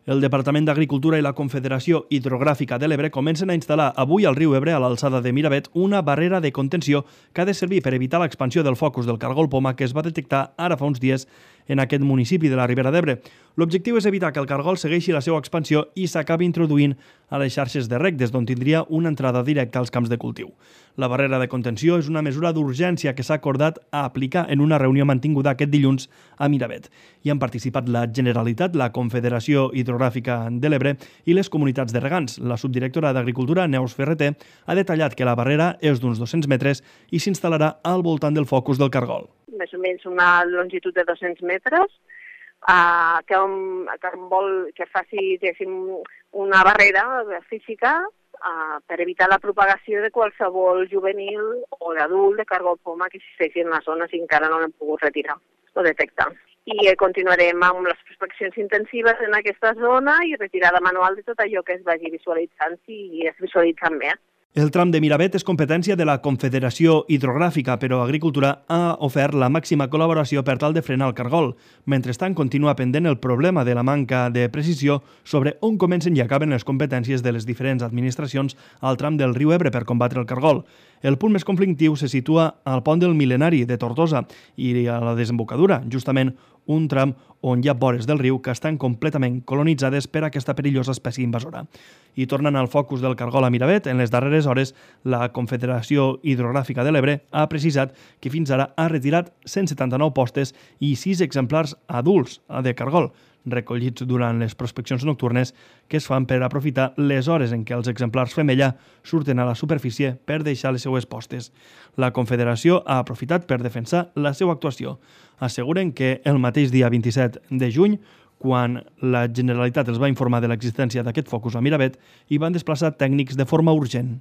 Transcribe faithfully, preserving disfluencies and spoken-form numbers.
El Departament d'Agricultura i la Confederació Hidrogràfica de l'Ebre comencen a instal·lar avui al riu Ebre, a l'alçada de Miravet, una barrera de contenció que ha de servir per evitar l'expansió del focus del cargol poma que es va detectar ara fa uns dies en aquest municipi de la Ribera d'Ebre. L'objectiu és evitar que el cargol segueixi la seva expansió i s'acabi introduint a les xarxes de reg, des d'on tindria una entrada directa als camps de cultiu. La barrera de contenció és una mesura d'urgència que s'ha acordat a aplicar en una reunió mantinguda aquest dilluns a Miravet. Hi han participat la Generalitat, la Confederació Hidrogràfica de l'Ebre i les comunitats de regants. La subdirectora d'Agricultura, Neus Ferreter, ha detallat que la barrera és d'uns dos-cents metres i s'instal·larà al voltant del focus del cargol. Més o menys una longitud de dos-cents metres, eh, que, un, que, vol, que faci una barrera física eh, per evitar la propagació de qualsevol juvenil o d'adult de cargol poma que existeixi en la zona si encara no l'hem pogut retirar o detectar. I continuarem amb les prospeccions intensives en aquesta zona i retirada manual de tot allò que es vagi visualitzant si es visualitzen més. El tram de Miravet és competència de la Confederació Hidrogràfica, però Agricultura ha ofert la màxima col·laboració per tal de frenar el cargol. Mentrestant, continua pendent el problema de la manca de precisió sobre on comencen i acaben les competències de les diferents administracions al tram del riu Ebre per combatre el cargol. El punt més conflictiu se situa al pont del Mil·lenari de Tortosa i a la desembocadura, justament un tram on hi ha vores del riu que estan completament colonitzades per aquesta perillosa espècie invasora. I tornant al focus del cargol a Miravet, en les darreres hores, la Confederació Hidrogràfica de l'Ebre ha precisat que fins ara ha retirat cent setanta-nou postes i sis exemplars adults de cargol, recollits durant les prospeccions nocturnes que es fan per aprofitar les hores en què els exemplars femella surten a la superfície per deixar les seues postes. La Confederació ha aprofitat per defensar la seva actuació. Asseguren que el mateix dia vint-i-set de juny, quan la Generalitat els va informar de l'existència d'aquest focus a Miravet, hi van desplaçar tècnics de forma urgent.